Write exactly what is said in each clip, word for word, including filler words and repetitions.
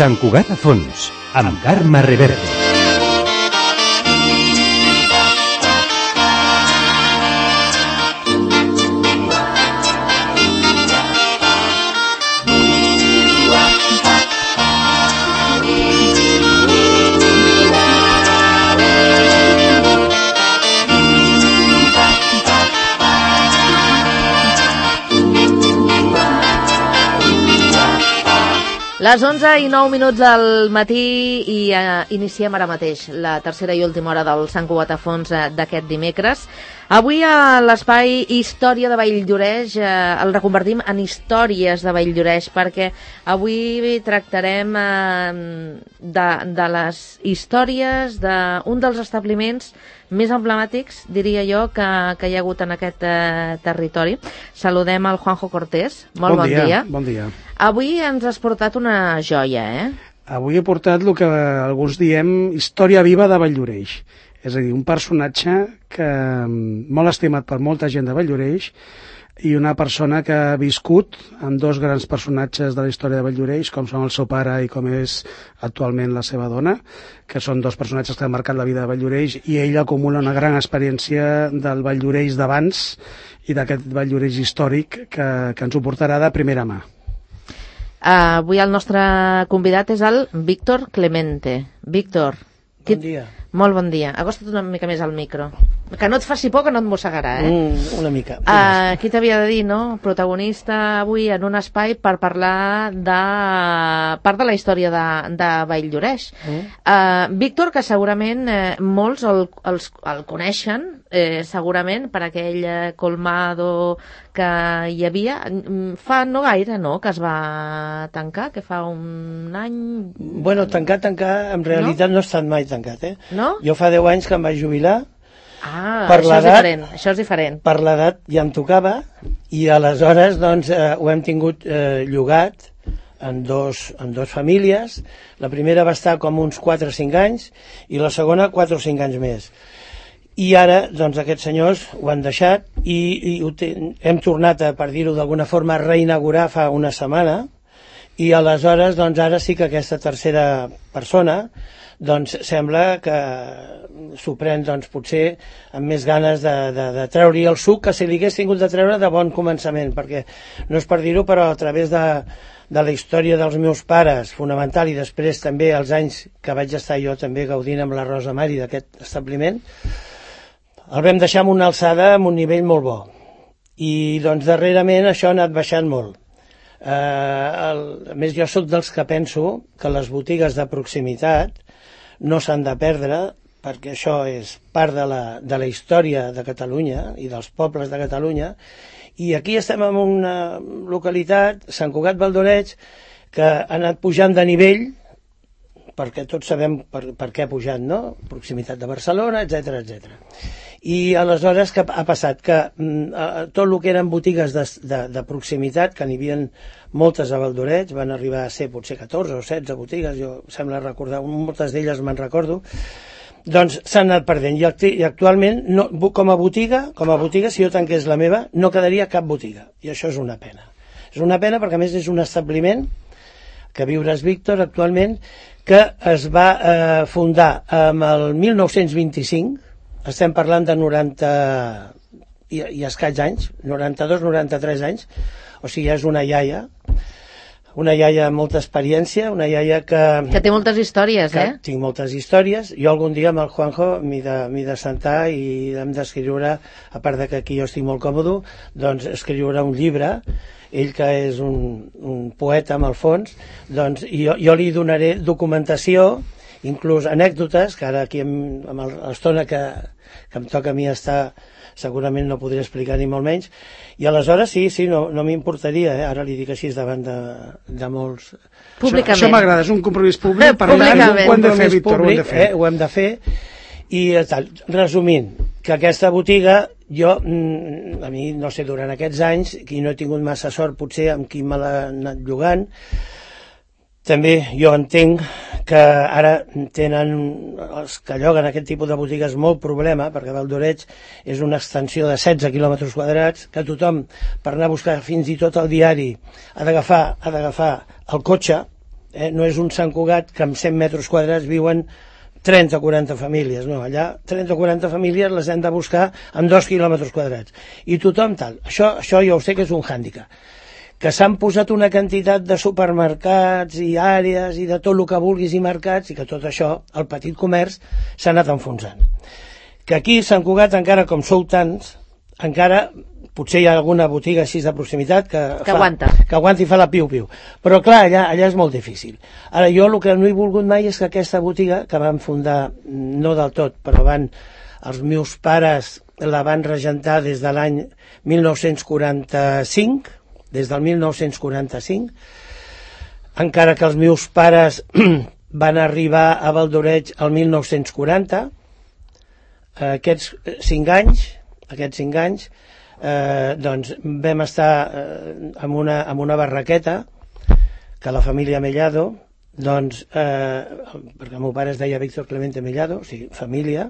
Sant Cugat a fons, amb Carme Reverte. Les onze i nou minuts del matí i eh, iniciem ara mateix la tercera i última hora del Sant Cugat a fons eh, d'aquest dimecres. Avui a l'espai Història de Valldoreix eh, el reconvertim en Històries de Valldoreix perquè avui tractarem eh, de, de les històries d'un dels establiments més emblemàtics, diria jo, que, que hi ha hagut en aquest eh, territori. Saludem al Juanjo Cortés. Molt bon, bon dia. dia. Bon dia. Avui ens has portat una joia, eh? Avui he portat el que alguns diem història viva de Valldoreix. És a dir, un personatge que molt estimat per molta gent de Valldoreix i una persona que ha viscut amb dos grans personatges de la història de Valldoreix, com són el seu pare i com és actualment la seva dona, que són dos personatges que han marcat la vida de Valldoreix, i ell acumula una gran experiència del Valldoreix d'abans i d'aquest Valldoreix històric que, que ens ho portarà de primera mà. Uh, avui el nostre convidat és el Víctor Clemente. Víctor. Bon dia. Molt bon dia. Acosta't una mica més al micro. Que no et faci por, que no et mossegarà, eh? Mm, una mica. Uh, qui t'havia de dir, no? Protagonista avui en un espai per parlar de part de la història de, de Valldoreix. Mm. Uh, Víctor, que segurament eh, molts el, els, el coneixen, eh, segurament per aquell eh, colmado que hi havia. Fa no gaire, no?, que es va tancar, que fa un any... Bueno, tancar, tancar, en realitat no, no ha estat mai tancat, eh? No? Jo fa deu anys que em vaig jubilar. Ah, per això és diferent, això és diferent. Per l'edat ja em tocava i aleshores doncs eh, ho hem tingut eh, llogat en dos, en dos famílies. La primera va estar com uns quatre o cinc anys i la segona quatre o cinc anys més. I ara doncs aquests senyors ho han deixat i, i ho ten, hem tornat a, per dir-ho d'alguna forma, a reinaugurar fa una setmana i aleshores doncs ara sí que aquesta tercera persona doncs sembla que s'ho pren doncs, potser amb més ganes de, de, de treure-hi el suc que si li hagués tingut de treure de bon començament, perquè no és per dir-ho, però a través de, de la història dels meus pares, fonamental, i després també els anys que vaig estar jo també gaudint amb la Rosa Mari d'aquest establiment, el vam deixar amb una alçada, amb un nivell molt bo. I doncs darrerament això ha anat baixant molt. Eh, el, a més, jo sóc dels que penso que les botigues de proximitat no s'han de perdre, perquè això és part de la, de la història de Catalunya i dels pobles de Catalunya, i aquí estem en una localitat, Sant Cugat Valldoreix, que ha anat pujant de nivell, perquè tots sabem per, per què ha pujat, no? Proximitat de Barcelona, etcètera, etcètera. I aleshores què ha passat? Que mm, tot el que eren botigues de, de, de proximitat, que n'hi havia moltes a Valldoreix, van arribar a ser potser catorze o setze botigues, jo sembla recordar, moltes d'elles me'n recordo, doncs s'han anat perdent. I, i actualment, no, com a botiga, com a botiga, si jo tanqués la meva, no quedaria cap botiga. I això és una pena. És una pena perquè, a més, és un establiment que viuràs, Víctor, actualment, que es va eh, fundar amb el mil nou-cents vint-i-cinc, estem parlant de noranta i, i escaig anys, noranta-dos noranta-tres anys, o sigui, és una iaia, una iaia amb molta experiència, una iaia que... Que té moltes històries, que eh? Tinc moltes històries. Jo algun dia amb el Juanjo m'hi de, m'hi de sentar i hem d'escriure, a part de que aquí jo estic molt còmode, doncs escriure un llibre, ell que és un, un poeta amb el fons, doncs jo, jo li donaré documentació, inclús anècdotes, que ara aquí amb, amb l'estona que, que em toca a mi estar, segurament no podré explicar ni molt menys, i aleshores sí, sí, no, no m'importaria, eh? Ara li dic així davant de, de molts... Públicament. Això, això m'agrada, és un compromís públic, per tant ho hem de fer, Víctor, ho hem de fer. Eh? Ho hem de fer, i tal. Resumint, que aquesta botiga, jo, a mi, no sé, durant aquests anys, qui no he tingut massa sort, potser amb qui me l'ha anat llogant, també jo entenc que ara tenen els que lloguen aquest tipus de botigues molt problema, perquè Valldoreix és una extensió de setze quilòmetres quadrats, que tothom, per anar a buscar fins i tot el diari, ha d'agafar ha d'agafar el cotxe, eh? No és un Sant Cugat que amb cent metres quadrats viuen trenta o quaranta famílies, no, allà trenta o quaranta famílies les hem de buscar amb dos quilòmetres quadrats. I tothom tal. Això, això jo ho sé que és un hàndicap. Que s'han posat una quantitat de supermercats i àrees i de tot el que vulguis i mercats i que tot això, el petit comerç, s'ha anat enfonsant. Que aquí a Sant Cugat, encara com sou tants, encara potser hi ha alguna botiga així de proximitat que, que fa, aguanta. Que aguanta i fa la piu-piu. Però clar, allà, allà és molt difícil. Ara, jo el que no he volgut mai és que aquesta botiga, que van fundar, no del tot, però van, els meus pares la van regentar des de l'any mil nou-cents quaranta-cinc, des del mil nou-cents quaranta-cinc, encara que els meus pares van arribar a Valdoreig el mil nou-cents quaranta, aquests cinc anys, aquests cinc anys, eh, doncs vam estar eh, amb, una, amb una barraqueta que la família Mellado, doncs, eh, perquè el meu pare es deia Víctor Clemente Mellado, o sigui, família,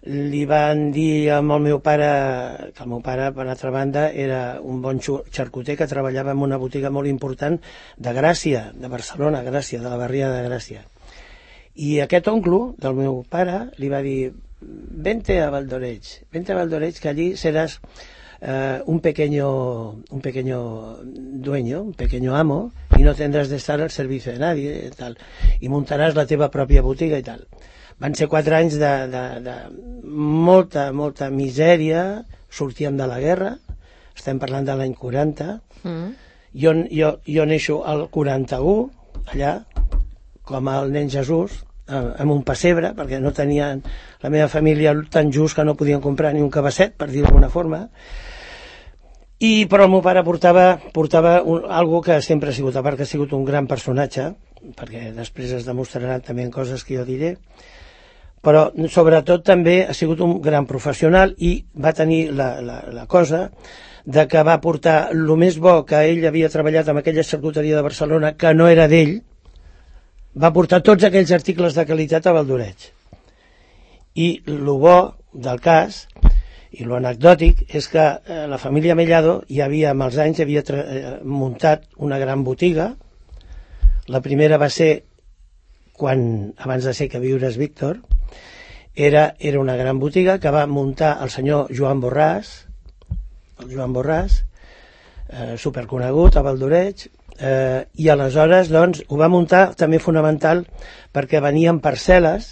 li van dir al meu pare, que el meu pare, per altra banda, era un bon xarcuter que treballava en una botiga molt important de Gràcia, de Barcelona, Gràcia, de la barriada de Gràcia. I aquest oncle del meu pare li va dir: vente a Valdoreig, vente a Valdoreig, que allí serás eh, un pequeño un pequeño dueño, un pequeño amo, y no tendrás de estar al servicio de nadie, tal, y montaràs la teva pròpia botiga i tal. Van ser quatre anys de, de, de molta, molta misèria, sortíem de la guerra, estem parlant de l'any quaranta, mm. jo, jo, jo neixo al quaranta-u, allà, com el nen Jesús, amb un pessebre, perquè no tenien la meva família tan just que no podien comprar ni un cabasset, per dir d'alguna forma. I però el meu pare portava, portava un, algo que sempre ha sigut, a part que ha sigut un gran personatge, perquè després es demostraran també en coses que jo diré, però sobretot també ha sigut un gran professional i va tenir la, la, la cosa de que va portar el més bo que ell havia treballat amb aquella xarcuteria de Barcelona, que no era d'ell, va portar tots aquells articles de qualitat a Valdoreig. I el bo del cas, i lo anecdòtic, és que eh, la família Mellado hi havia, amb els anys, havia eh, muntat una gran botiga. La primera va ser, quan, abans de ser que viures Víctor, era, era una gran botiga que va muntar el senyor Joan Borràs, el Joan Borràs, eh, superconegut a Valdoreig, Eh, i aleshores doncs ho va muntar també fonamental perquè venien parcel·les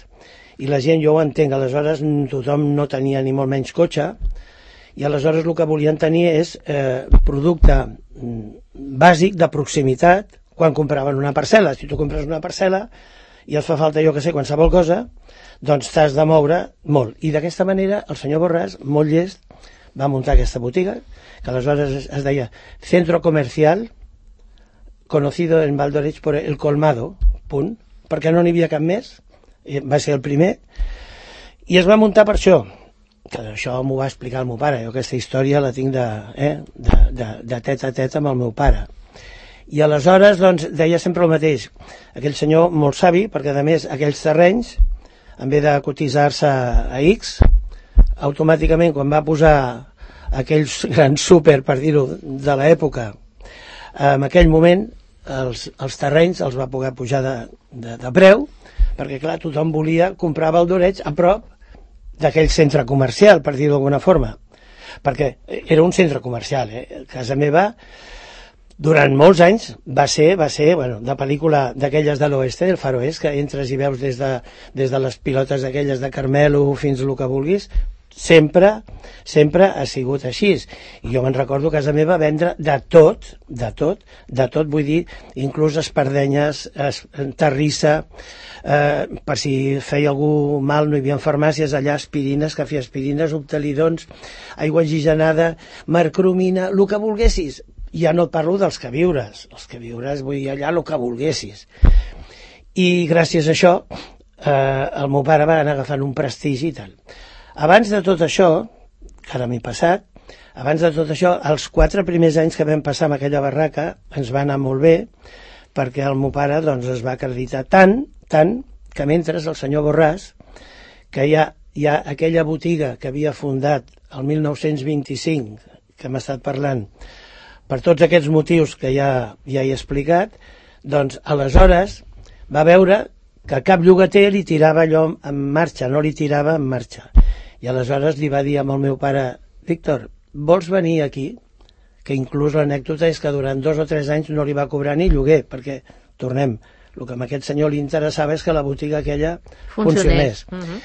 i la gent, jo ho entenc, aleshores tothom no tenia ni molt menys cotxe i aleshores el que volien tenir és eh, producte bàsic de proximitat quan compraven una parcel·la. Si tu compres una parcel·la i et fa falta, jo que sé, qualsevol cosa, doncs t'has de moure molt. I d'aquesta manera el senyor Borràs, molt llest, va muntar aquesta botiga que aleshores es, es deia Centro Comercial, conocido en Valdoreig por el colmado, punt, perquè no n'hi havia cap més, va ser el primer, i es va muntar per això, que això m'ho va explicar el meu pare, jo aquesta història la tinc de, eh, de, de, de tet a tet amb el meu pare. I aleshores, doncs, deia sempre el mateix, aquell senyor molt savi, perquè a més aquells terrenys, en vez de cotitzar-se a X, automàticament quan va posar aquells grans súper, per dir-ho, de l'època, en aquell moment els, els terrenys els va poder pujar de, de, de preu, perquè clar, tothom volia comprar Valdoreig a prop d'aquell centre comercial, per dir-ho d'alguna forma, perquè era un centre comercial, eh? Casa meva durant molts anys va ser, va ser bueno, de pel·lícula d'aquelles de l'oeste, del Far Oest, que entres i veus des de, des de les pilotes aquelles de Carmelo fins el que vulguis, sempre, sempre ha sigut així. I jo me'n recordo a casa meva vendre de tot, de tot, de tot, vull dir, inclús espardenyes, es, terrissa, eh, per si feia algú mal, no hi havia farmàcies allà, aspirines, cafeaspirines, optalidons, aigua oxigenada, mercromina, el que volguessis. Ja no et parlo dels queviures, els queviures vull dir allà el que volguessis. I gràcies a això eh, el meu pare va anar agafant un prestigi i tal. Abans de tot això, que ara m'he passat, abans de tot això, els quatre primers anys que vam passar amb aquella barraca ens va anar molt bé, perquè el meu pare doncs, es va acreditar tant, tant, que mentre el senyor Borràs, que ja, ja aquella botiga que havia fundat el mil nou-cents vint-i-cinc, que hem estat parlant, per tots aquests motius que ja, ja he explicat, Doncs aleshores va veure que cap llogater li tirava allò en marxa, no li tirava en marxa. I aleshores li va dir amb el meu pare, Víctor, vols venir aquí? Que inclús l'anècdota és que durant dos o tres anys no li va cobrar ni lloguer, perquè, tornem, el que a aquest senyor li interessava és que la botiga aquella funcionés. Uh -huh.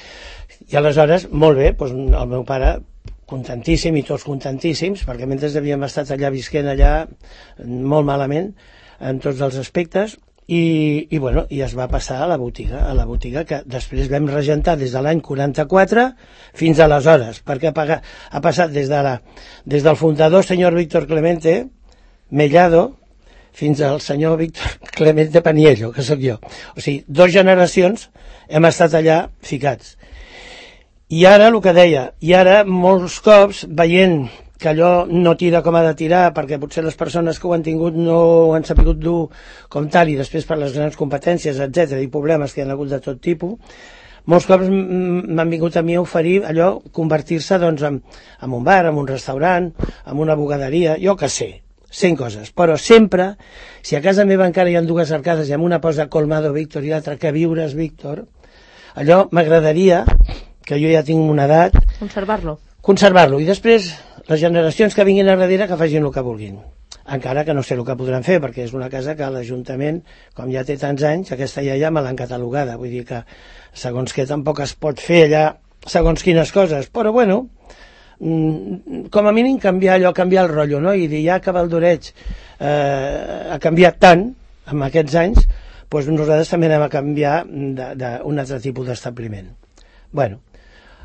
I aleshores, molt bé, doncs el meu pare contentíssim i tots contentíssims, perquè mentre havíem estat allà visquent allà molt malament en tots els aspectes, i, i, bueno, i es va passar a la botiga, a la botiga que després vam regentar des de l'any quaranta-quatre fins aleshores, perquè ha, pagat, ha passat des, de la, des del fundador senyor Víctor Clemente Mellado fins al senyor Víctor Clemente Paniello, que sóc jo. O sigui, dos generacions hem estat allà ficats. I ara, el que deia, i ara molts cops veient que allò no tira com ha de tirar, perquè potser les persones que ho han tingut no ho han sabut dur com tal, i després per les grans competències, etcètera, i problemes que hi ha hagut de tot tipus, molts cops m'han vingut a mi a oferir allò, convertir-se doncs, en, en un bar, en un restaurant, en una bugaderia, jo que sé, cent coses, però sempre, si a casa meva encara hi ha dues arcades i amb una posa Colmado Víctor i l'altra que viures Víctor, allò m'agradaria, que jo ja tinc una edat, conservar-lo. Conservar-lo, i després les generacions que vinguin a darrere que facin el que vulguin. Encara que no sé el que podran fer, perquè és una casa que l'Ajuntament, com ja té tants anys, aquesta ja ja me l'han catalogada, vull dir que segons que tampoc es pot fer allà segons quines coses, però bueno, com a mínim canviar allò, canviar el rotllo, no? I dir, ja que Valdoreig eh, ha canviat tant en aquests anys, doncs nosaltres també anem a canviar d'un altre tipus d'establiment. Bueno,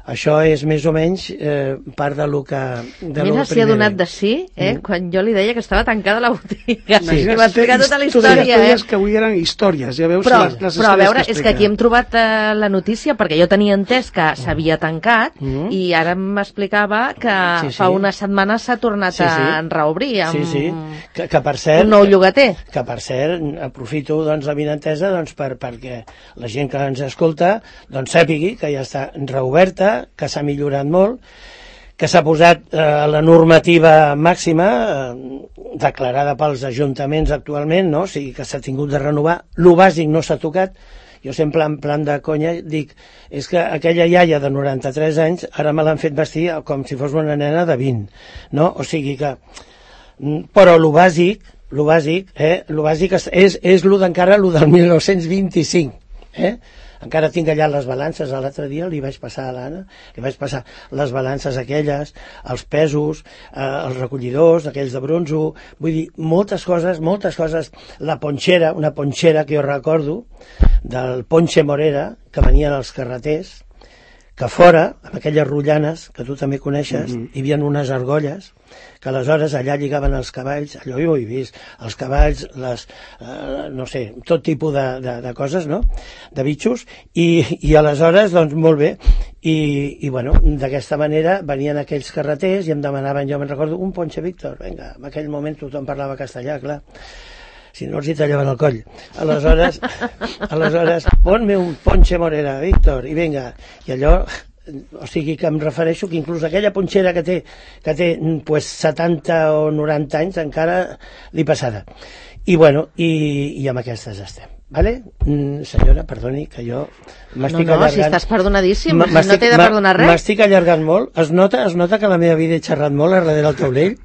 això és més o menys eh, part de lo que... De Mira, s'hi ha donat de sí, eh? Mm. Quan jo li deia que estava tancada la botiga. Sí. I va explicar tota la història, eh? Que avui eren històries, ja veus però, les, les però a veure, que és que aquí hem trobat eh, la notícia, perquè jo tenia entès que s'havia tancat, mm. i ara m'explicava que sí, sí. fa una setmana s'ha tornat sí, sí. a reobrir amb sí, sí. Que, que per cert, un nou llogater. Que, que per cert, aprofito doncs, la vinentesa doncs, per, perquè la gent que ens escolta doncs, sàpigui que ja està reoberta, que s'ha millorat molt, que s'ha posat eh, la normativa màxima eh, declarada pels ajuntaments actualment, no? O sigui que s'ha tingut de renovar, lo bàsic no s'ha tocat. Jo sempre en plan de conya dic, és que aquella iaia de noranta-tres anys ara me l'han fet vestir com si fos una nena de vint, no? O sigui que, però lo bàsic, lo bàsic, eh, lo bàsic és, és, és lo d'encara lo del mil nou-cents vint-i-cinc, eh? Encara tinc allà les balances, l'altre dia li vaig passar a l'Anna, li vaig passar les balances aquelles, els pesos, eh, els recollidors, aquells de bronzo, vull dir, moltes coses, moltes coses, la ponxera, una ponxera que jo recordo, del Ponche Morera, que venien als carreters, que fora, amb aquelles rotllanes, que tu també coneixes, mm-hmm. hi havia unes argolles, que aleshores allà lligaven els cavalls, allò jo ho he vist, els cavalls, les, eh, no sé, tot tipus de, de, de coses, no?, de bitxos, i, i aleshores, doncs, molt bé, i, i bueno, d'aquesta manera venien aquells carreters i em demanaven, jo me'n recordo, un Ponche Víctor, vinga, en aquell moment tothom parlava castellà, clar, si no els hi tallaven el coll. Aleshores, aleshores ponme un Ponche Morera, Víctor, i vinga, i allò, o sigui que em refereixo que inclús aquella ponxera que té, que té pues, setanta o noranta anys encara li passada. I bueno, i, i amb aquestes estem. Vale? Mm, senyora, perdoni, que jo m'estic no, no, allargant. Si estàs perdonadíssim, si no t'he de perdonar res. M'estic allargant molt. Es nota, es nota que la meva vida he xerrat molt a darrere del taulell?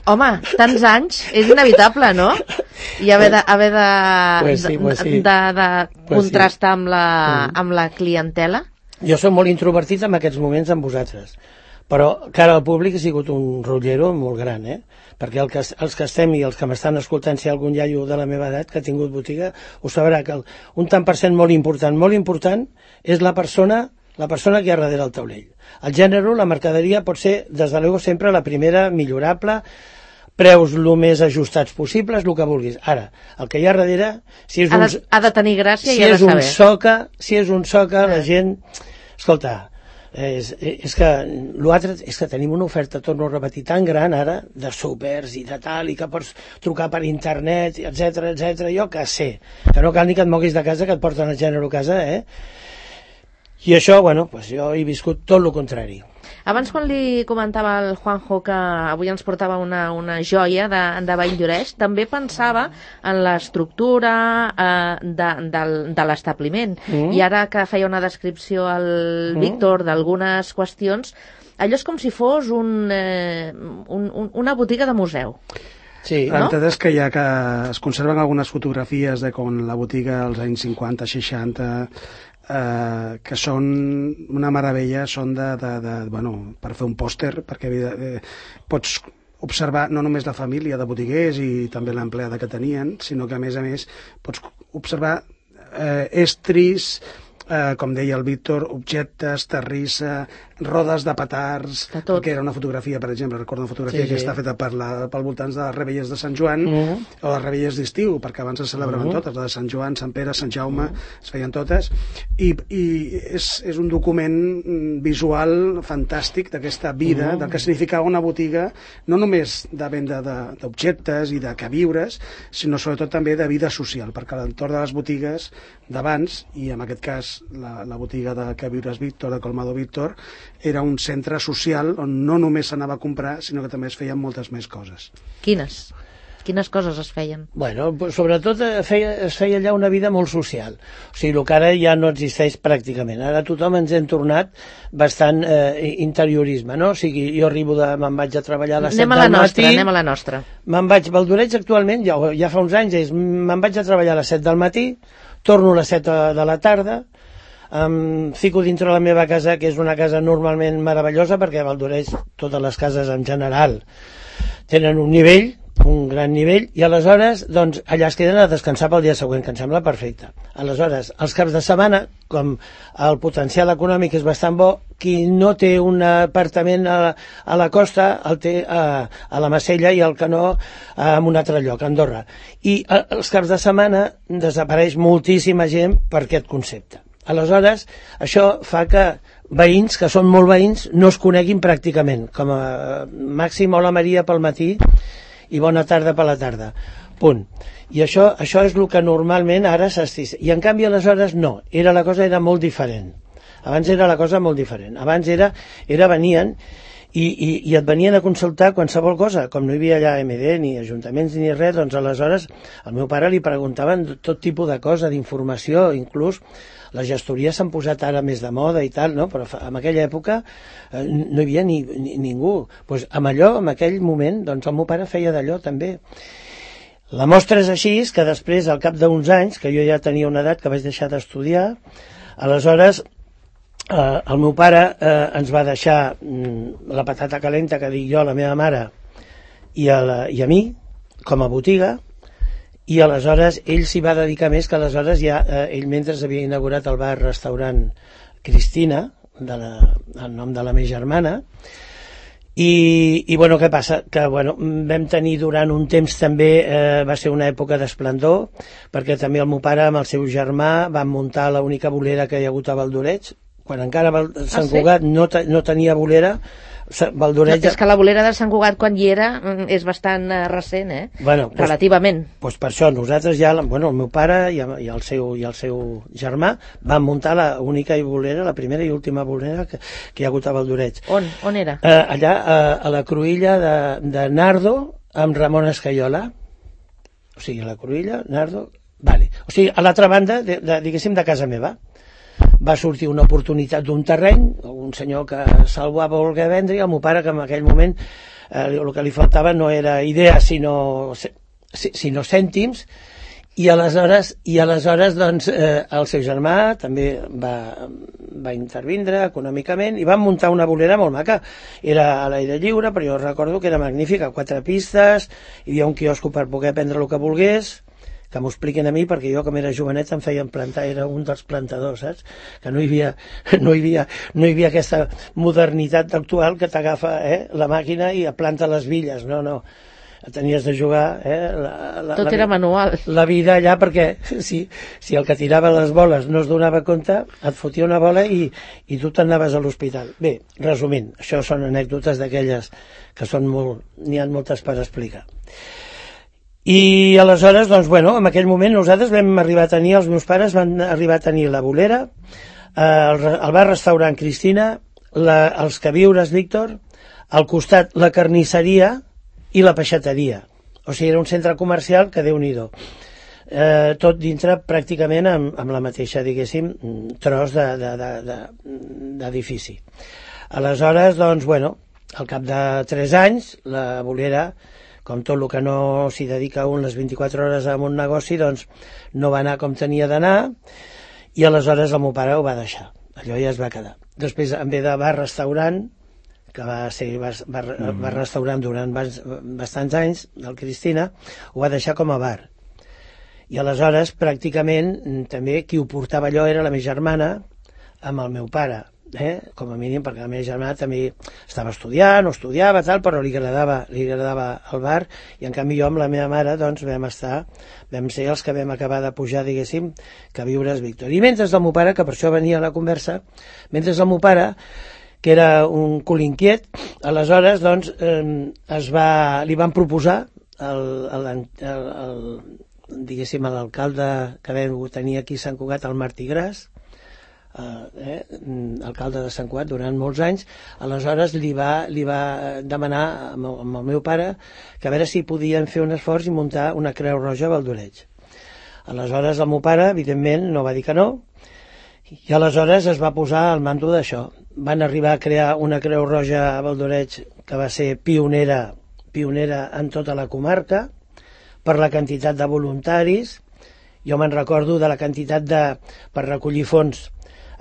Home, tants anys, és inevitable, no? I haver de, haver de, pues sí, pues sí. de, de pues contrastar sí. amb la, amb la clientela. Jo soc molt introvertit en aquests moments amb vosaltres, però cara al públic ha sigut un rotllero molt gran, eh? Perquè el que, els que estem i els que m'estan escoltant, si hi ha algun iaio de la meva edat que ha tingut botiga, ho sabrà que el, un tant per cent molt important, molt important, és la persona, la persona que hi ha darrere el taulell. El gènere, la mercaderia pot ser, des de luego, sempre la primera, millorable, preus el més ajustats possibles, el que vulguis. Ara, el que hi ha darrere, si és un, ha, de, ha de tenir gràcia si i ha de és un saber. soca, si és un soca, la gent... Escolta, és, és que l'altre és que tenim una oferta, torno a repetir, tan gran ara, de súpers i de tal, i que pots trucar per internet, etcètera, etcètera, jo que sé, que no cal ni que et moguis de casa, que et porten el gènere a casa, eh? I això, bueno, pues jo he viscut tot el contrari. Abans, quan li comentava al Juanjo que avui ens portava una, una joia de, de Valldoreix, també pensava en l'estructura eh, de, de, de l'establiment. Mm. I ara que feia una descripció al mm. Víctor d'algunes qüestions, allò és com si fos un, eh, un, un, una botiga de museu. Sí, no? La veritat és que hi ha que es conserven algunes fotografies de com la botiga als anys cinquanta, seixanta, eh, que són una meravella, són de, de, de, bueno, per fer un pòster, perquè eh, pots observar no només la família de botiguers i també l'empleada que tenien, sinó que a més a més pots observar eh, estris, eh, com deia el Víctor, objectes, terrissa, rodes de petards, que era una fotografia, per exemple, recordo una fotografia sí, que sí. està feta per, la, pel voltants de les Rebelles de Sant Joan, uh -huh. o les Rebelles d'estiu, perquè abans es celebraven uh -huh. totes, la de Sant Joan, Sant Pere, Sant Jaume, uh -huh. es feien totes, i, i és, és un document visual fantàstic d'aquesta vida, uh -huh. del que significava una botiga, no només de venda d'objectes i de queviures, sinó sobretot també de vida social, perquè l'entorn de les botigues d'abans, i en aquest cas la, la botiga de queviures Víctor, de Colmado Víctor, era un centre social on no només s'anava a comprar, sinó que també es feien moltes més coses. Quines? Quines coses es feien? Bueno, sobretot feia, es feia allà una vida molt social. O sigui, el que ara ja no existeix pràcticament. Ara tothom ens hem tornat bastant eh, interiorisme, no? O sigui, jo arribo de... me'n vaig a treballar a les set del matí... Anem a la nostra, anem a la nostra. Me'n vaig... Valldoreix actualment, ja, ja fa uns anys, és, me'n vaig a treballar a les set del matí, torno a les set de la tarda, em fico dintre la meva casa, que és una casa normalment meravellosa, perquè a Valldoreix totes les cases en general tenen un nivell, un gran nivell, i aleshores doncs, allà es queden a descansar pel dia següent, que em sembla perfecte. Aleshores, els caps de setmana, com el potencial econòmic és bastant bo, qui no té un apartament a la, a la costa el té a, a la Macella i el que no en un altre lloc, a Andorra. I a, els caps de setmana desapareix moltíssima gent per aquest concepte. Aleshores, això fa que veïns, que són molt veïns, no es coneguin pràcticament, com a màxim hola Maria pel matí i bona tarda per la tarda. Punt. I això, això és el que normalment ara s'estís. I en canvi aleshores no, era, la cosa era molt diferent. Abans era la cosa molt diferent. Abans era, era venien i, i, i et venien a consultar qualsevol cosa, com no hi havia allà M D ni ajuntaments ni res, doncs aleshores al meu pare li preguntaven tot tipus de cosa, d'informació, inclús les gestories s'han posat ara més de moda i tal, no? Però en aquella època eh, no hi havia ni, ni, ningú. Pues amb allò, en aquell moment, doncs el meu pare feia d'allò també. La mostra és així, que després, al cap d'uns anys, que jo ja tenia una edat que vaig deixar d'estudiar, aleshores eh, el meu pare eh, ens va deixar mm, la patata calenta, que dic jo, a la meva mare i a, la, i a mi, com a botiga, i aleshores ell s'hi va dedicar més, que aleshores ja eh, ell mentre havia inaugurat el bar-restaurant Cristina, de la, el nom de la meva germana, i, i bueno, què passa? Que bueno, vam tenir durant un temps també, eh, va ser una època d'esplendor, perquè també el meu pare amb el seu germà van muntar l'única bolera que hi ha hagut a Valldoreix, quan encara Sant Cugat no, te, no tenia bolera. Valldoreix... No, és que la bolera de Sant Cugat quan hi era és bastant uh, recent, eh? Bueno, pues, relativament. Doncs pues per això nosaltres ja, bueno, el meu pare i, i, el seu, i el seu germà van muntar la única bolera, la primera i última bolera que, que hi ha hagut a Valldoreix. On? On era? Eh, allà, a, a la cruïlla de, de Nardo amb Ramon Escaiola. O sigui, la cruïlla, Nardo... Vale. O sigui, a l'altra banda, de, de, diguéssim, de casa meva. Va sortir una oportunitat d'un terreny, un senyor que se'l va voler vendre, i el meu pare, que en aquell moment eh, el que li faltava no era idea, sinó, sinó cèntims, i aleshores, i aleshores doncs, eh, el seu germà també va, va intervindre econòmicament i van muntar una bolera molt maca. Era a l'aire lliure, però jo recordo que era magnífica, quatre pistes, hi havia un quiosco per poder prendre el que volgués, que m'ho expliquen a mi, perquè jo, com era jovenet, em feien plantar, era un dels plantadors, saps? Que no hi havia, no hi havia, no hi havia aquesta modernitat actual que t'agafa eh, la màquina i et planta les billes, no, no. Tenies de jugar... Eh, la, la, Tot la, era manual. La vida allà, perquè si, si el que tirava les boles no es donava compte, et fotia una bola i, i tu t'anaves a l'hospital. Bé, resumint, això són anècdotes d'aquelles que són molt... n'hi ha moltes per explicar. I aleshores, doncs, bueno, en aquell moment nosaltres vam arribar a tenir, els meus pares van arribar a tenir la bolera, eh, el, el bar-restaurant Cristina, la, els queviures, Víctor, al costat la carnisseria i la peixateria. O sigui, era un centre comercial que Déu-n'hi-do. Eh, tot dintre pràcticament amb, amb la mateixa, diguéssim, tros d'edifici. De, de, de, Aleshores, doncs, bueno, al cap de tres anys, la bolera, com tot el que no s'hi dedica un les vint-i-quatre hores a un negoci, doncs no va anar com tenia d'anar, i aleshores el meu pare ho va deixar. Allò ja es va quedar. Després, en ve de bar-restaurant, que va ser bar, bar, bar restaurant durant bastants anys, del Cristina, ho va deixar com a bar. I aleshores, pràcticament, també qui ho portava allò era la meva germana amb el meu pare. Eh? Com a mínim, perquè la meva germana també estava estudiant o estudiava tal, però li agradava, li agradava el bar, i en canvi jo amb la meva mare doncs vam estar, vam ser els que vam acabar de pujar, diguéssim, que viures Víctor. I mentre el meu pare, que per això venia a la conversa, mentre el meu pare, que era un cul inquiet, aleshores doncs eh, es va, li van proposar el, el, el, el diguéssim l'alcalde que vam tenir aquí a Sant Cugat, el Martí Gras, Uh, eh, alcalde de Sant Cugat durant molts anys. Aleshores li va, li va demanar amb el, amb el meu pare que a veure si podien fer un esforç i muntar una Creu Roja a Valdoreig. Aleshores el meu pare evidentment no va dir que no, i aleshores es va posar al mando d'això. Van arribar a crear una Creu Roja a Valdoreig que va ser pionera, pionera en tota la comarca per la quantitat de voluntaris. Jo me'n recordo de la quantitat de, per recollir fons,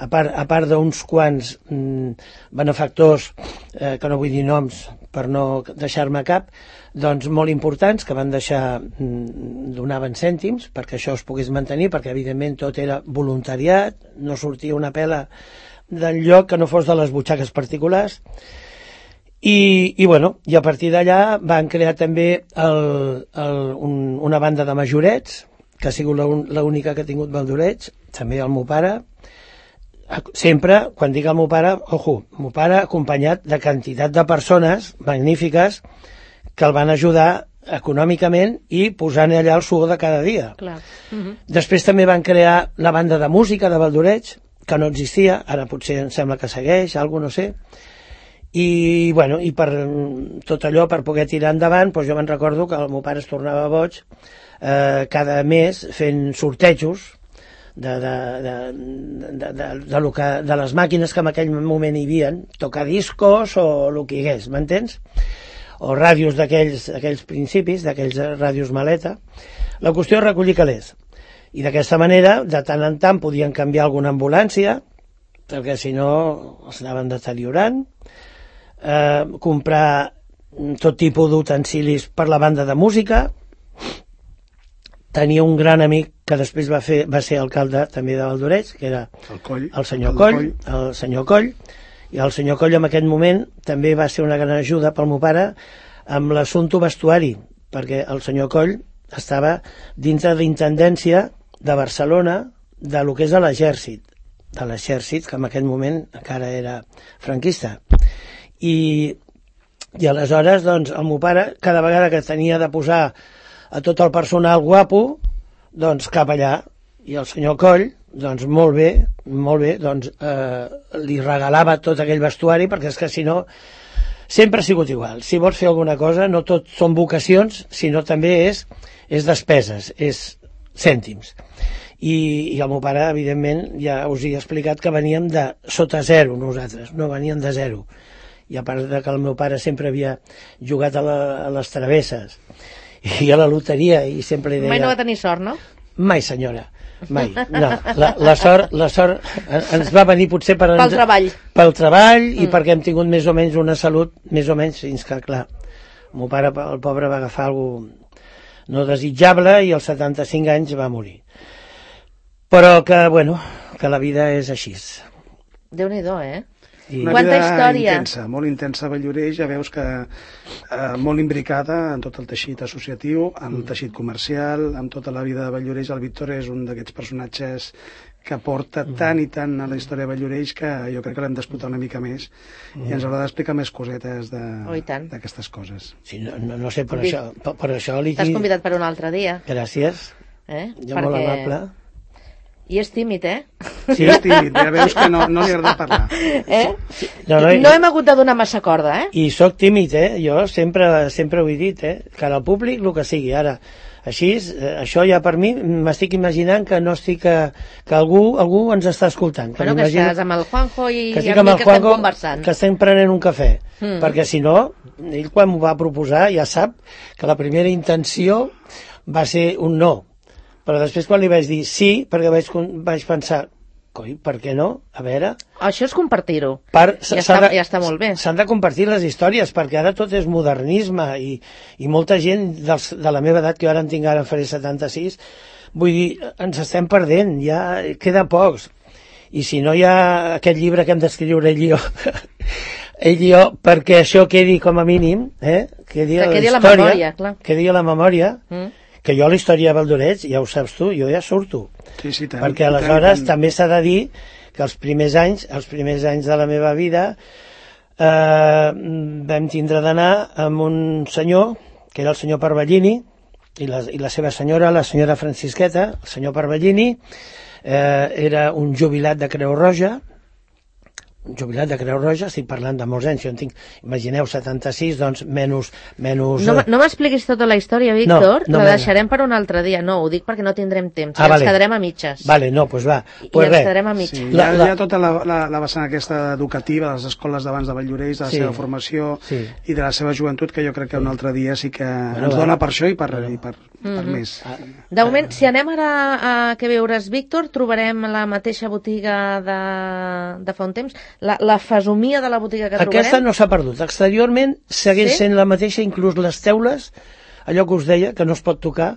a part, a part d'uns quants mm, benefactors, eh, que no vull dir noms per no deixar-me cap, doncs molt importants, que van deixar, mm, donaven cèntims perquè això es pogués mantenir, perquè evidentment tot era voluntariat, no sortia una pela del lloc que no fos de les butxaques particulars. I, i, bueno, i a partir d'allà van crear també el, el, un, una banda de majorets, que ha sigut l'única que ha tingut Valdoreig, també el meu pare. Sempre, quan dic el meu pare, ojo, el meu pare acompanyat de quantitat de persones magnífiques que el van ajudar econòmicament i posant allà el suor de cada dia. Clar. Uh-huh. Després també van crear la banda de música de Valdoreig, que no existia, ara potser em sembla que segueix, alguna no sé, i, bueno, i per tot allò, per poder tirar endavant, doncs jo me'n recordo que el meu pare es tornava boig eh, cada mes fent sortejos de, de, de, de, de, de, lo que, de les màquines que en aquell moment hi havia, tocadiscos o el que hi hagués, m'entens? O ràdios d'aquells principis, d'aquells ràdios maleta. La qüestió és recollir calés. I d'aquesta manera, de tant en tant, podien canviar alguna ambulància, perquè si no els anaven deteriorant, eh, comprar tot tipus d'utensilis per la banda de música. Tenia un gran amic que després va, fer, va ser alcalde també de Valdoreig, que era el, Coll, el senyor Coll, Coll, el senyor Coll, i el senyor Coll en aquest moment també va ser una gran ajuda pel meu pare amb l'assumpte vestuari, perquè el senyor Coll estava dintre d'intendència de Barcelona de lo que és l'exèrcit, de l'exèrcit, que en aquest moment encara era franquista. I, i aleshores, doncs, el meu pare, cada vegada que tenia de posar a tot el personal guapo, doncs cap allà. I el senyor Coll, doncs molt bé, molt bé, doncs eh, li regalava tot aquell vestuari, perquè és que si no, sempre ha sigut igual. Si vols fer alguna cosa, no tot són vocacions, sinó també és, és despeses, és cèntims. I, i el meu pare, evidentment, ja us he explicat que veníem de sota zero nosaltres, no veníem de zero. I a part de que el meu pare sempre havia jugat a, la, a les travesses i a la loteria, i sempre li deia... Mai no va tenir sort, no? Mai, senyora, mai. No, la, la, sort, la sort ens va venir potser per... Pel treball. Pel treball i mm. perquè hem tingut més o menys una salut, més o menys, fins que, clar, el meu pare, el pobre, va agafar alguna no desitjable i als setanta-cinc anys va morir. Però que, bueno, que la vida és així. Déu-n'hi-do, eh? I una vida història intensa, molt intensa a Valldoreix, ja veus que eh, molt imbricada en tot el teixit associatiu, en el teixit comercial, amb tota la vida de Valldoreix. El Víctor és un d'aquests personatges que porta mm. tant i tant a la història de Valldoreix que jo crec que l'hem d'explotar una mica més mm. i ens haurà d'explicar més cosetes d'aquestes oh, coses. Sí, no, no, no sé, per això, per, per això li... T'has convidat per un altre dia. Gràcies, eh? jo Perquè... molt amable. I és tímid, eh? Sí, és tímid, ja veus que no, no li agrada parlar. Eh? No, no, No hem hagut de donar massa corda, eh? I sóc tímid, eh? Jo sempre, sempre ho he dit, eh? Cara al públic, el que sigui. Ara, així, eh, això ja per mi, m'estic imaginant que no estic... Que, que algú, algú ens està escoltant. Bueno, que estàs amb el Juanjo i que amb mi que estem conversant. Que estem prenent un cafè. Mm. Perquè si no, ell quan m'ho va proposar ja sap que la primera intenció va ser un no. Però després quan li vaig dir sí, perquè vaig, vaig pensar, coi, per què no? A veure... Això és compartir-ho. Per, ja, està, de, ja està molt bé. S'han de compartir les històries, perquè ara tot és modernisme i, i molta gent dels, de la meva edat, que jo ara en tinc, ara en faré setanta-sis, vull dir, ens estem perdent, ja queda pocs. I si no hi ha aquest llibre que hem d'escriure ell i jo, ell i jo, perquè això quedi com a mínim, eh? quedi, que quedi la, la memòria, clar. Quedi a la memòria, mm. que jo la història de Valdorets, ja ho saps tu, jo ja surto. Sí, sí, tant, perquè aleshores tant. També s'ha de dir que els primers anys, els primers anys de la meva vida eh, vam tindre d'anar amb un senyor, que era el senyor Parvellini, i la, i la seva senyora, la senyora Francisqueta, el senyor Parvellini, eh, era un jubilat de Creu Roja, un jubilat de Creu Roja, estic parlant de molts anys, jo en tinc, imagineu, setanta-sis, doncs menys... menys no no m'expliquis tota la història, Víctor, no, no, la deixarem per un altre dia, no, ho dic perquè no tindrem temps, ah, i vale. ens quedarem a mitges. Vale, no, doncs pues va. I pues ens res. quedarem a mitges. Sí, la, hi, ha, la... hi ha tota la, la, la vessant aquesta educativa de les escoles d'abans de Valldoreix, de la sí. seva formació sí. i de la seva joventut, que jo crec que un altre dia sí que bueno, ens va. dona per això i per, i per, Mm-hmm. per més. De moment, si anem ara a Què veures, Víctor, trobarem la mateixa botiga de, de fa un temps, la, la fesomia de la botiga que trobarem. Aquesta no s'ha perdut. Exteriorment segueix sí? sent la mateixa, inclús les teules, allò que us deia, que no es pot tocar,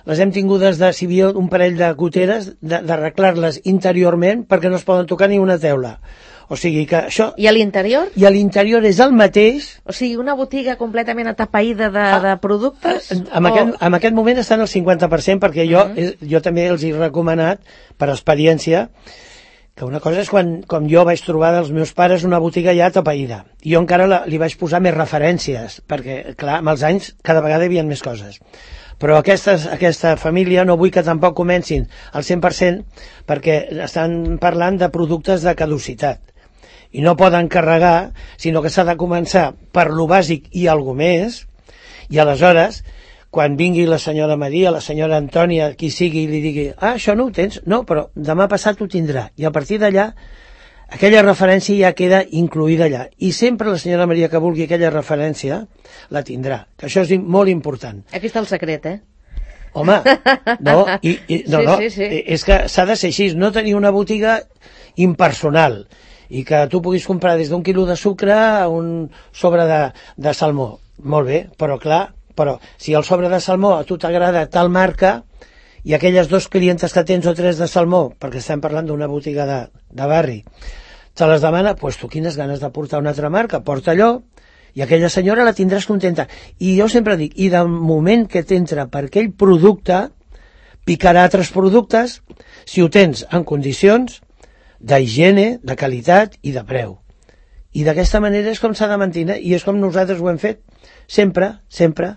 les hem tingudes de, si hi havia un parell de goteres, d'arreglar-les interiorment perquè no es poden tocar ni una teula. O sigui que això... I a l'interior? I a l'interior és el mateix. O sigui, una botiga completament atapeïda de, ah, de productes? En, o... aquest, en aquest moment estan al cinquanta per cent, perquè jo, uh -huh. jo també els he recomanat, per experiència, que una cosa és quan, com jo vaig trobar dels meus pares una botiga ja atapeïda. I jo encara la, li vaig posar més referències, perquè, clar, amb els anys cada vegada hi havia més coses. Però aquestes, aquesta família no vull que tampoc comencin al cent per cent, perquè estan parlant de productes de caducitat. I no poden carregar, sinó que s'ha de començar per lo bàsic i algo més, i aleshores, quan vingui la senyora Maria, la senyora Antònia, qui sigui, i li digui, ah, això no ho tens? No, però demà passat ho tindrà. I a partir d'allà, aquella referència ja queda incluïda allà. I sempre la senyora Maria que vulgui aquella referència, la tindrà. Que això és molt important. Aquí està el secret, eh? Home, no, i, i, no, sí, no, sí, sí. és que s'ha de ser així, no tenir una botiga impersonal, i que tu puguis comprar des d'un quilo de sucre a un sobre de, de salmó. Molt bé, però clar, però si el sobre de salmó a tu t'agrada tal marca i aquelles dos clientes que tens o tres de salmó, perquè estem parlant d'una botiga de, de barri, te les demana, doncs pues tu quines ganes de portar una altra marca, porta allò, i aquella senyora la tindràs contenta. I jo sempre dic, i del moment que t'entra per aquell producte, picarà altres productes si ho tens en condicions d'higiene, de qualitat i de preu. I d'aquesta manera és com s'ha de mantenir, i és com nosaltres ho hem fet, sempre, sempre.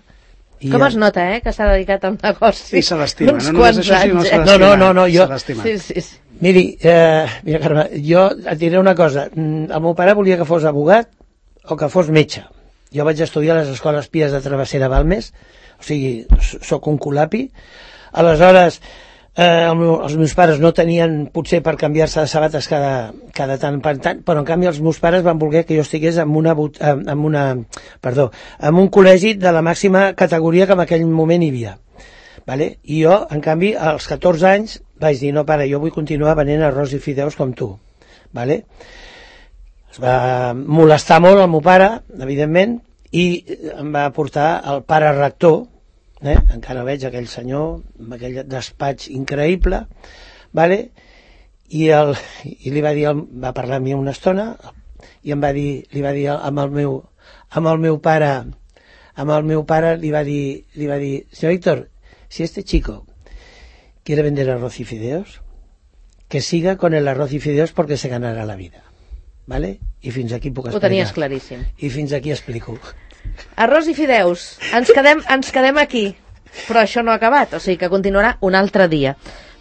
I com ja... es nota, eh, que s'ha dedicat al negoci? Sí, se l'estima, no només això, sinó se eh? l'estima. No, no, no, no, jo... Sí, sí, sí. Miri, eh, mira, Carme, jo et diré una cosa. El meu pare volia que fos abogat o que fos metge. Jo vaig estudiar a les escoles Pies de Travessera Balmes, o sigui, sóc un culapi. Aleshores, eh, el meu, els meus pares no tenien potser per canviar-se de sabates cada, cada tant per tant, però en canvi els meus pares van voler que jo estigués en una, en una, perdó, en un col·legi de la màxima categoria que en aquell moment hi havia. Vale? I jo, en canvi, als catorze anys vaig dir, no pare, jo vull continuar venent arròs i fideus com tu. Vale? Es va molestar molt el meu pare, evidentment, i em va portar el pare rector, eh? Encara veig aquell senyor amb aquell despatx increïble, vale? I, el, i li va dir, va parlar amb mi una estona i em va dir, li va dir amb el meu, amb el meu pare, amb el meu pare li va dir, li va dir, senyor Víctor, si este chico quiere vender arroz y fideos, que siga con el arroz y fideos porque se ganará la vida. ¿Vale? I fins aquí puc explicar. Ho tenies claríssim. I fins aquí explico. Arròs i fideus. Ens quedem, ens quedem aquí. Però això no ha acabat, o sigui que continuarà un altre dia.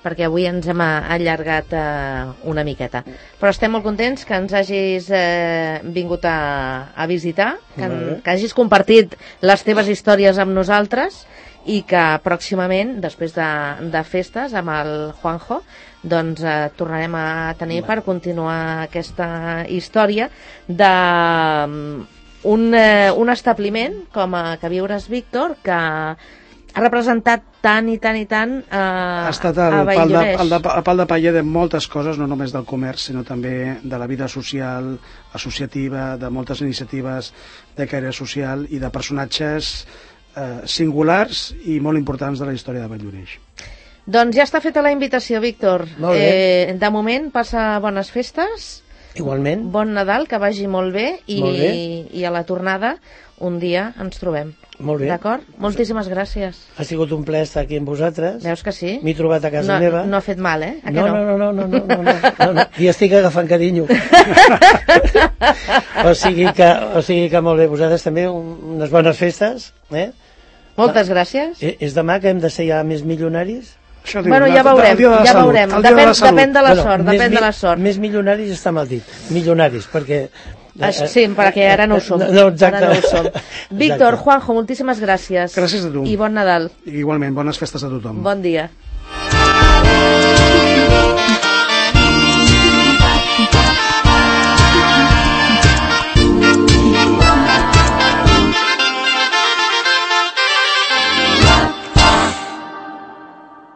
perquè avui ens hem allargat eh, una miqueta. Però estem molt contents que ens hagis eh, vingut a, a visitar, que, en, que hagis compartit les teves històries amb nosaltres i que pròximament, després de, de festes, amb el Juanjo, doncs eh, tornarem a tenir per continuar aquesta història de un, eh, un establiment com a Que viures Víctor, que ha representat tant i tant i tant eh, ha estat el a pal de, Valldoreix. el, de, el pal de paller de moltes coses, no només del comerç, sinó també de la vida social, associativa, de moltes iniciatives de caire social i de personatges eh, singulars i molt importants de la història de Valldoreix. Doncs ja està feta la invitació, Víctor. Molt bé. Eh, de moment, passa bones festes. Igualment. Bon Nadal, que vagi molt bé i, Molt bé. i a la tornada un dia ens trobem. Molt bé. D'acord? Moltíssimes gràcies. Ha sigut un plaer estar aquí amb vosaltres. Veus que sí? M'he trobat a casa no, meva. No ha fet mal, eh? A No, que no, no, no, no, no, no, no, no, no. I estic agafant carinyo. o, sigui que, o sigui que molt bé, vosaltres també un- unes bones festes. Eh? Moltes gràcies. Eh, És demà que hem de ser ja més milionaris? Això diu, Bueno, el- ja veurem, el dia de la ja salut, veurem. el dia de Depèn, la salut. depèn de la Bueno, sort, més depèn de mi- la sort. Més milionaris està mal dit. Milionaris, perquè... Ah, sí, perquè ara no ho som. No, no, exacte. Ara no ho som. Víctor, Exacte. Juanjo, moltíssimes gràcies. Gràcies a tu. I bon Nadal. Igualment, bones festes a tothom. Bon dia.